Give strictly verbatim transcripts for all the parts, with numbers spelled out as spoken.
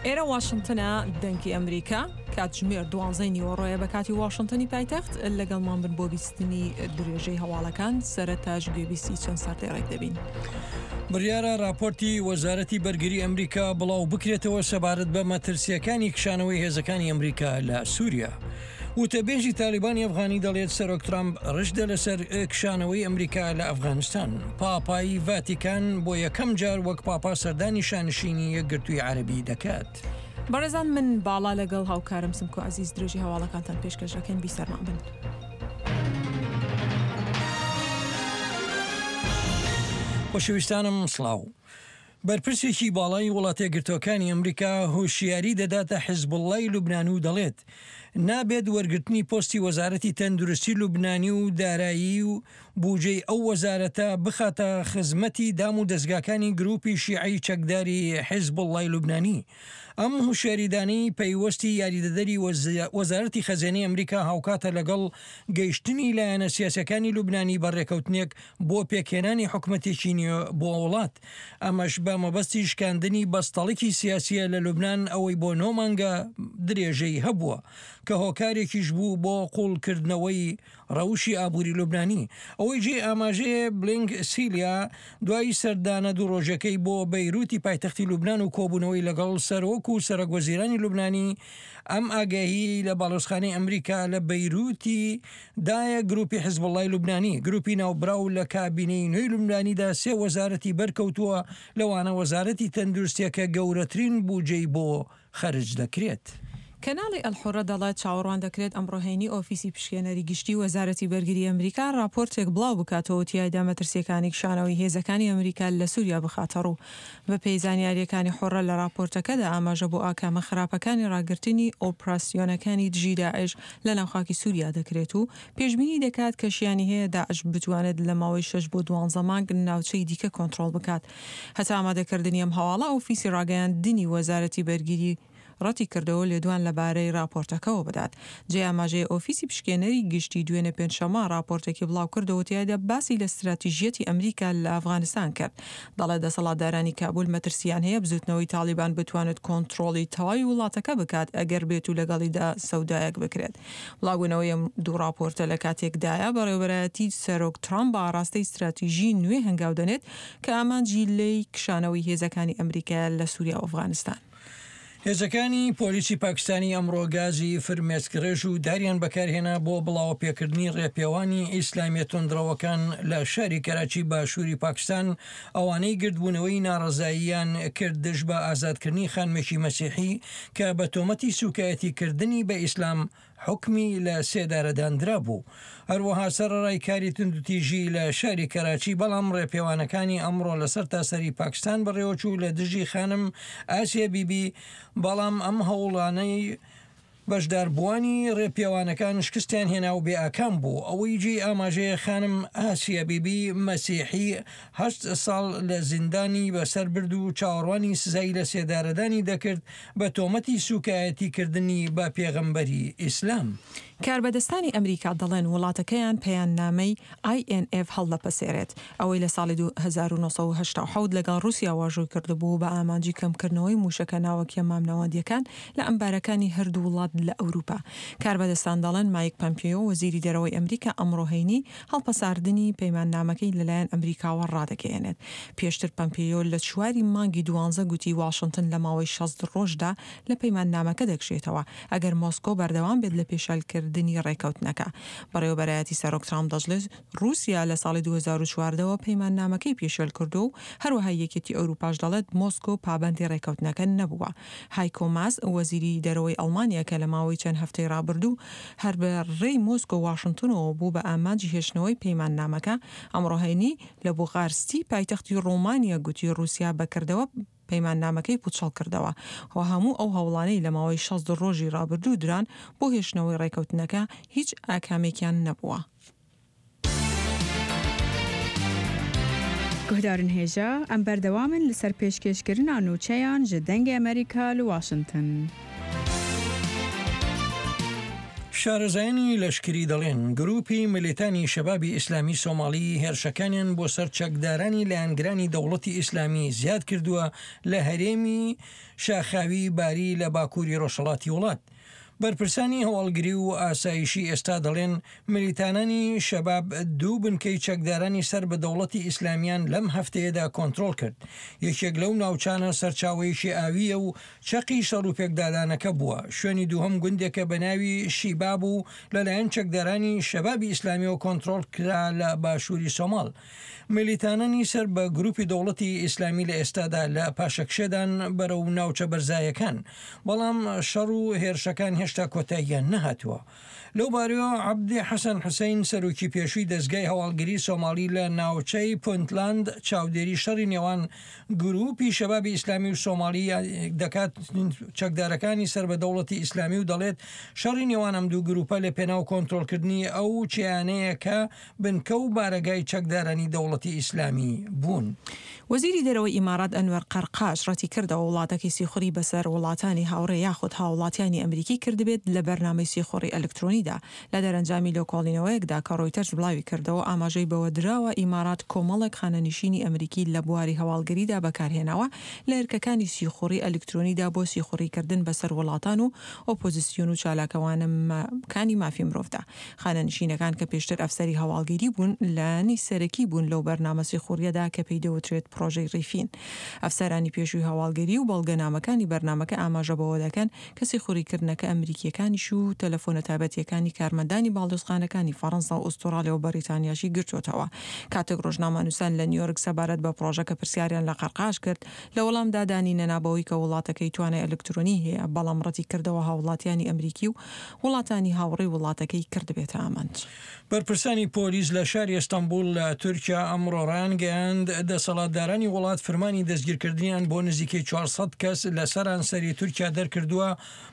ئێرە واشنتنە، دەنگی ئەمریکا، کاتژمێر دوانزەی نیوەڕۆیە بە کاتی واشنتنی پایتەخت. لەگەڵمان بن بۆ بیستنی درێژەی هەواڵەکان. سەرەتاش گوێبیستی چەند سەردێڕێک دەبین. بڕیارە راپۆرتی وەزارەتی بەرگری ئەمریکا بڵاو بکرێتەوە سەبارەت بە مەترسیەکانی کشانەوەی هێزەکانی ئەمریکا لە سووریا. وتەبێژی تالیبانی ئەفغانی دەڵێت سەرۆک ترامپ ڕژدە لەسەر کشانەوەی ئەمریکا لە ئەفغانستان. پاپای ڤاتیکان بۆ یەکەم جار وەک پاپا سەردانی شانشینی یەکگرتووی عەرەبی دەکات. بەڕێزان، من باڵا لەگەڵ هاوکارم سمکۆ عەزیز درێژی هەواڵەکانتان پێشکەش دەکەین. بیسەرمان بن. خۆشەویستانم سڵاو. بەرپرسێکی باڵای وڵاتە یەکگرتووەکانی ئەمریکا هۆشیاری دەداتە حیزبوڵڵای لوبنان و دەڵێت نابێت وەرگرتنی پۆستی وەزارەتی تەندروستی لوبنانی و دارایی و بودجەی ئەو وەزارەتە بخاتە خزمەتی دام و دەستگاکانی گروپی شیعەی چەکداری حیزبوڵڵای لوبنانی. ئەم هوشیاریدانەی پەیوەستی یاریدەدەری وەزارەتی خەزێنەی ئەمریکا هاوکاتە لەگەڵ گەیشتنی لایەنە سیاسەکانی لوبنانی بە ڕێکەوتنێک بۆ پێکهێنانی حکومەتێکی نوێ بۆ وڵات، ئەمەش بە مەبەستی شکاندنی بەستەڵکی سیاسیە لە لوبنان ئەوەی بۆ نۆ مانگە درێژەی هەبووە کە هۆکارێکیش بوو بۆ قوڵکردنەوەی ڕەوشی ئابووری لوبنانی. ئەوەی جێ ئاماژەیە بلینک سیلیا دوای سەردانە دوو ڕۆژەکەی بۆ بەیروتی پایتەختی لوبنان و کۆبوونەوەی لەگەڵ سەرۆک و سەرۆک وەزیرانی لوبنانی ئەم ئاگاهی لە باڵۆزخانەی ئەمریکا لە بەیروتی دایە گروپی حزبوڵای لوبنانی. گروپی ناوبراو لە کابینەی نوێی لوبنانیدا سێ وەزارەتی بەرکەوتووە، لەوانە وەزارەتی تەندروستیەکە گەورەترین بودجەی بۆ خەرج دەکرێت. کەناڵی ئەلحوڕە دەڵێت چاوەڕوان دەکرێت ئەمڕۆ هەینی ئۆفیسی پشکێنەری گشتی وەزارەتی بەرگری ئەمریکا راپۆرتێک بڵاو بکاتەوە تیایدا مەترسیەکانی کشانەوەی هێزەکانی ئەمریکا لە سووریا بخاتە ڕوو. بەپێی زانیاریەکانی حوڕە لە راپۆرتەکەدا ئاماژە بۆ ئاکامە خراپەکانی ڕاگرتنی ئۆپراسیۆنەکانی دژی داعش لە ناوخاکی سووریا دەکرێت و پێشبینی دەکات کە شیانی هەیە داعش بتوانێت لە ماوەی شەش بۆ دوانزە مانگ ناوچەی دیکە کۆنترۆڵ بکات. هەتا ئامادەکردنی ئەم هەواڵە ئۆفیسی ڕاگەیاندنی وەزارەتی بەرگری ڕەتی کردەوە لێدوان لەبارەی راپۆرتەکەوە بدات. جێ ئاماژەیە ئۆفیسی پشکێنەری گشتی دوێنێ پێنجشەممە راپۆرتێکی بڵاو کردەوە تیایدا باسی لە ستراتیژیەتی ئەمریکا لە ئەفغانستان کرد. دەڵێت دەسەڵاتدارانی کابول مەترسیان هەیە بزوتنەوەی تاڵیبان بتوانێت کۆنترۆڵی تەواوی وڵاتەکە بکات ئەگەر بێت و لەگەڵیدا سەودایەک بکرێت. بڵاوبوونەوەی ئەم دوو راپۆرتە لە کاتێکدایە بەڕێوەبەرایەتی سەرۆک ترامپ بە ئاراستەی ستراتیژی نوێ هەنگاو دەنێت کە ئامانجی لێی کشانەوەی هێزەکانی ئەمریکا لە سووریا و ئەفغانستان. هێزەکانی پۆلیسی پاکستانی ئەمڕۆ گازی فرمێسکڕێژ و داریان بەکارهێنا بۆ بڵاوەپێکردنی ڕێپێوانی ئیسلامیە توندڕەوەکان لە شاری کەراچی باشووری پاکستان، ئەوانەی گردبوونەوەی ناڕەزاییان کرد دژ بە ئازادکردنی خانمێکی مەسیحی کە بە تۆمەتی سوکایەتیکردنی بە ئیسلام حکمی لە سێدارەداندرا بوو. هەروەها سەرەڕای کاری توندوتیژی لە شاری کەراچی، بەڵام ڕێپێوانەکانی ئەمڕۆ لەسەر تاسەری پاکستان بەڕێوەچوو لە دژی خانم ئاسیا بیبی، بەڵام ئەم هەوڵانەی بەشداربووانی ڕێپێوانەکان شکستیان هێنا و بێ ئاکام بوو. ئەوەی جێی ئاماژەیە خانم ئاسیا بیبی مەسیحی هەشت ساڵ لە زیندانی بەسەر برد و چاوەڕوانی سزای لە سێدارەدانی دەکرد بە تۆمەتی سوکایەتیکردنی بە پێغەمبەری ئیسلام. کاربەدەستانی ئەمریکا دەڵێن وڵاتەکەیان پەیاننامەی ئای ئێن ئێف هەڵدەپەسێرێت، ئەوەی لە ساڵی دوو هەزار و نۆ سەد و هەشتا و حەوت لەگەڵ رووسیا واژۆی کردبوو بە ئامانجی کەمکردنەوەی موشەکە ناوەکیە مامناوەندیەکان لە ئەمبارەکانی هەردوو وڵات لە ئەوروپا. کاربەدەستان دەڵێن مایک پەمپیۆ وەزیری دەرەوەی ئەمریکا ئەمڕۆ هەینی هەڵپەساردنی پەیماننامەکەی لەلایەن ئەمریکاوە ڕادەگەیەنێت. پێشتر پەمپیۆ لە چواری مانگی دوانزە گوتی واشنتن لە ماوەی شەست ڕۆژدا لە پەیماننامەکە دەکشێتەوە ئەگەر مۆسکۆ بەردەوام بێت لە پێشالکردنی ڕێکەوتنەکە. بەڕێوەبەرایەتی سەرۆک ترامپ دەشڵێت رووسیا لە ساڵی دوو هەزار و چواردە وە پەیماننامەکەی پێشێل کردو و هەروەها یەکێتی ئەوروپاش دەڵێت مۆسکۆ پابەندی ڕێکەوتنەکە نەبووە. هایکۆ ماس وەزیری دەرەوەی ئەڵمانیا کە لە ماوەی چەند هەفتەی ڕابردوو هەر بە ڕێی مۆسکۆ واشنتنەوە بوو بە ئامانجی هێشتنەوەی پەیماننامەکە، ئەمڕۆ هەینی لە بوخارستی پایتەختی ڕۆمانیا گوتی رووسیا بەکردەوە پەیماننامەکەی پوچەڵ کردەوە و هەموو ئەو هەوڵانەی لە ماوەی شەست ڕۆژی ڕابردوو دران بۆ هێشتنەوەی ڕێکەوتنەکە هیچ ئاکامێکیان نەبووە. گوهدارن هێژا ئەم بەردەوامن لەسەر پێشکێشکردنا نوچەیان ji دەنگی ئەمریکا لە واشنتن. شارەزایانی لەشکری دەڵێن گروپی ملیتانی شەبابی ئیسلامی سۆماڵی هێرشەکانیان بۆ سەر چەکدارانی لایەنگرانی دەوڵەتی ئیسلامی زیاد کردووە لە هەرێمی شاخاوی باری لە باکووری ڕۆژهەڵاتی وڵات. بەرپرسانی هەواڵگری و ئاسایشی ئێستا دەڵێن ملیتانانی شەباب دوو بنکەی چەکدارانی سەر بە دەوڵەتی ئیسلامیان لەم هەفتەیەدا کۆنترۆڵ کرد. یەکێک لەو ناوچانە سەرچاوەیەکی ئاویە و چەقی شەڕ و پێکدادانەکە بووە. شوێنی دووهەم گوندێکە بە ناوی شیباب و لەلایەن چەکدارانی شەبابی ئیسلامیەوە کۆنترۆڵ کرا لە باشووری سۆماڵ. ملیتانانی سەر بە گروپی دەوڵەتی ئیسلامی لە ئێستادا لە پاشەکشێدان بەرەو ناوچە بەرزایەکان، بەڵام شەڕ و هێرشەکان هێشتا کۆتاییان نەهاتووە. لەو بارەوە عەبدی حەسەن حوسەین سەرۆکی پێشووی دەزگای هەواڵگری سۆماڵی لە ناوچەی پونتلاند چاودێری شەڕی نێوان گروپی شەبابی ئیسلامی و سۆماڵی دەکات چەکدارەکانی سەر بە دەوڵەتی ئیسلامی و دەڵێت شەڕی نێوان ئەم دوو گروپە لە پێناو کۆنترۆڵکردنی ئەو چیانەیە کە بنکە و بارەگای چەکدارانی دەوڵەتی ئیسلامی بوون. وەزیری دەرەوەی ئیمارات ئەنوەر قەرقاش ڕەتی کردەوە وڵاتەکەی سیخوڕی بەسەر وڵاتانی هاوڕێ یاخود هاوڵاتیانی ئەمریکی کردبێت لە بەرنامەی سیخوڕی ئەلکترۆنیدا. لە دەرەنجامی لێکۆڵینەوەیەکدا کە ڕۆیتەرز بڵاوی کردەوە ئاماژەی بەوە دراوە ئیمارات کۆمەڵێک خانەنشینی ئەمریکی لە بواری هەواڵگریدا بەکارهێناوە لە ئەرکەکانی سیخوڕی ئەلکترۆنیدا بۆ سیخوڕیکردن بەسەر وڵاتان و ئۆپۆزیسیۆن و چالاکەوانەکانی مافی مرۆڤدا. خانەنشینەکان کە پێشتر ئەفسەری هەواڵگیری بوون لایەنی سەرەکی بوون لەو بەرنامە سیخوڕیەدا کە پێی دەوترێت پرۆژەی ڕیفین. ئەفسەرانی پێشووی هەواڵگری و بەڵگەنامەکانی بەرنامەکە ئاماژە بەوە دەکەن کە سیخوڕیکردنەکە ئەمریکیەکانیش و تەلەفۆنە تایبەتیەکانی کارمەندانی باڵیۆزخانەکانی فەڕەنسا و ئوسترالیا و بەریتانیاشی گرتووەتەوە. کاتێک ڕۆژنامەنووسان لە نیویۆرک سەبارەت بە پرۆژەکە پرسیاریان لە قەرقاش کرد، لە وەڵامدا دانی نەنابەوەی کە وڵاتەکەی توانای ئەلکترۆنی هەیە، بەڵام ڕەتی کردەوە هاوڵاتیانی ئەمریکی و وڵاتانی هاوڕێی وڵاتەکەی کردبێتە ئامانج. بەرپرسانی پۆلیس لە شاری ئەستەنبوڵ لە تورکیا ئەمڕۆ ڕایانگەیاند دەسەڵاتدارانی وڵات فرمانی دەستگیرکردنیان بۆ نزیکەی چوار سەد کەس لە سەرانسەری تورکیا دەرکردووە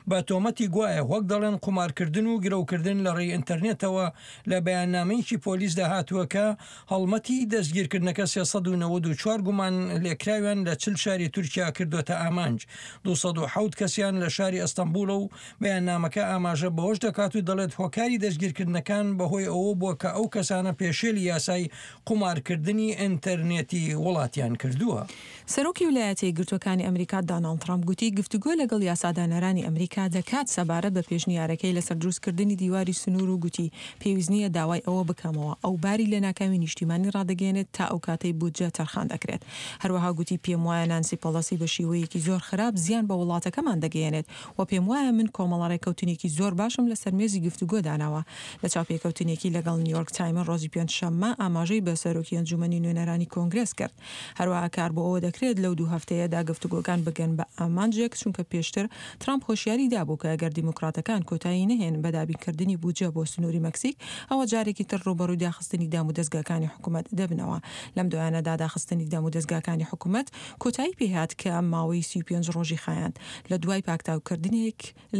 بە تۆمەتی گوایە وەک دەڵێن قومارکردن و گرەوکردن لە ڕێی ئینتەرنێتەوە. لە بەیاننامەیەکی پۆلیسدا هاتووە کە هەڵمەتی دەستگیرکردنەکە سێ سەد و نەوەد و چوار گومان لێکراویان لە چل شاری تورکیا کردوێتە ئامانج. دوو سەد و حەوت کەسیان لە شاری ئەستەنبوڵە و بەیاننامەکە ئاماژە بەوەش دەکات و دەڵێت هۆکاری دەستگیرکردنەکان بەهۆی ئەوە بووە کە ئەو کەسانە پێشێلی یاسای قومارکردنی ئینتەرنێتی وڵاتیان کردووە. سەرۆکی ویلایەتە یەکگرتووەکانی ئەمریکا داناڵد ترامپ گوتی گفتوگۆ لەگەڵ یاسادانەرانی ئەمریکا دەکات سەبارەت بە پێشنیارەکەی لەسەر دروستکردنی دیواری سنوور و گوتی پێویست نییە داوای ئەوە بکەمەوە ئەو باری لە ناکامی نیشتیمانی ڕادەگەیەنێت تا ئەو کاتەی بودجە تەرخان دەکرێت. هەروەها گوتی پێم وایە نانسی پۆلۆسی بە شێوەیەکی زۆر خراپ زیان بە وڵاتەکەمان دەگەیەنێت و پێم وایە من کۆمەڵە ڕێککەوتنێکی زۆر باشم لەسەر مێزی گفتوگۆ داناوە. لە چاوپێکەوتنێکی لەگەڵ نیویۆرک تایمز ڕۆژی پێنجشەممە ئاماژەی بە سەرۆکی ئەنجومەنی نوێنەرانی کۆنگرێس کرد. هەروەها کار بۆ ئەوە دەکرێت لەو دوو هەفتەیەدا گفتوگۆکان بگەن بە ئامانجێک، چونکە پێشتر ترامپ هۆشیاری دابوو کە ئەگەر دیموکراتەکان کۆتایی نەهێن بە دابینکردنی بودجە بۆ سنووری مەکسیک، ئەوە جارێکی تر ڕووبەڕووی داخستنی دام و دەزگاکانی حکوومەت دەبنەوە. لەم دوایانەدا داخستنی دام و دەزگاکانی حکوومەت کۆتایی پێهات کە ماوەی سی و پێنج ڕۆژی خایاند لە دوای پاکتاوکردنێک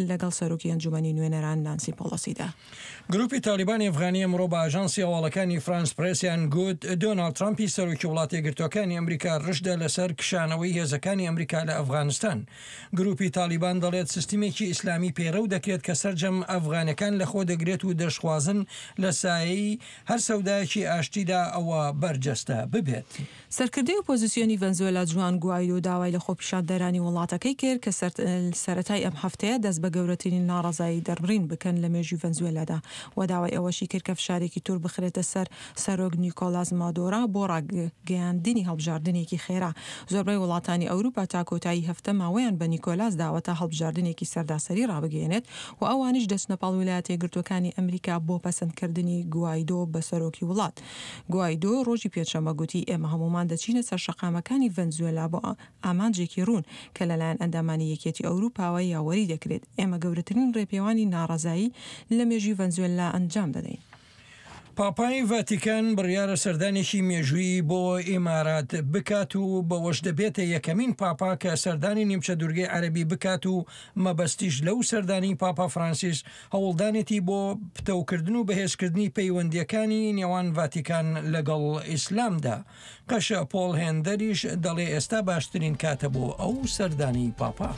لەگەڵ سەرۆکی ئەنجومەنی نوێنەران نانسی پۆلۆسیدا. گروپی تالیبانی ئەفغانی ئەمڕۆ بە ئاژانسی هەواڵەکانی فرانس پرێسیان گوت دۆناڵد ترامپی سەرۆکی وڵاتە یەکگرتووەکانی ئەمریکا ڕشدە لەسەر کشانەوەی هێزەکانی ئەمریکا لە ئەفغانستان. گروپی تالیبان دەڵێت سیستمێکی ئیسلامی پەیڕەو دەکرێت کە سەرجەم ئەفغانەکان لەخۆ دەگرێت و دەشخوازن لە سایەی هەر سەودایەکی ئاشتیدا ئەوە بەرجەستە ببێت. سەرکردەی ئۆپۆزیسیۆنی ڤەنزوێلا جوان گوایدۆ داوای لە خۆپیشاندەرانی وڵاتەکەی کرد کە سەرەتای ئەم هەفتەیە دەست بە گەورەترین ناڕەزایی دەربڕین بکەن لە مێژووی ڤەنزوێلادا و داوای ئەوەشی کرد کە فشارێکی تور بخرێتە سەر سەرۆک نیکۆلاس مادۆرا بۆ ڕاگەیاندنی هەڵبژاردنێکی خێرا. زۆربەی وڵاتانی ئەوروپا تا کۆتایی هەفتە ماوەیان بە نیکۆلاس داوە تا هەڵبژاردنێکی سەرداسەری ڕابگەیەنێت و ئەوانیش دەچنە پاڵ ویلایەتە یەکگرتووەکانی ئەمریکا بۆ پەسەندکردنی گوایدۆ بە سەرۆکی وڵات. گوایدۆ ڕۆژی پێنجشەممە گوتی ئێمە هەمومان دەچینە سەر شەقامەکانی ڤەنزوێلا بۆ ئامانجێکی ڕوون کە لەلایەن ئەندامانی یەکێتی ئەوروپاوە یاوەری دەکرێت. ئێمە گەورەترین ڕێپێوانی ناڕەزایی لە مێژووی ڤەنزوێلا ئەنجام دەدەین. پاپای ڤاتیکان بڕیارە سەردانێکی مێژوویی بۆ ئیمارات بکات و بەوەش دەبێتە یەکەمین پاپا کە سەردانی نیمچە دوورگەی عەرەبی بکات و مەبەستیش لەو سەردانی پاپا فرانسیس هەوڵدانێتی بۆ پتەوکردن و بەهێزکردنی پەیوەندیەکانی نێوان ڤاتیکان لەگەڵ ئیسلامدا. قەشە پۆڵ هێندەریش دەڵێ ئێستا باشترین کاتە بۆ ئەو سەردانی پاپا.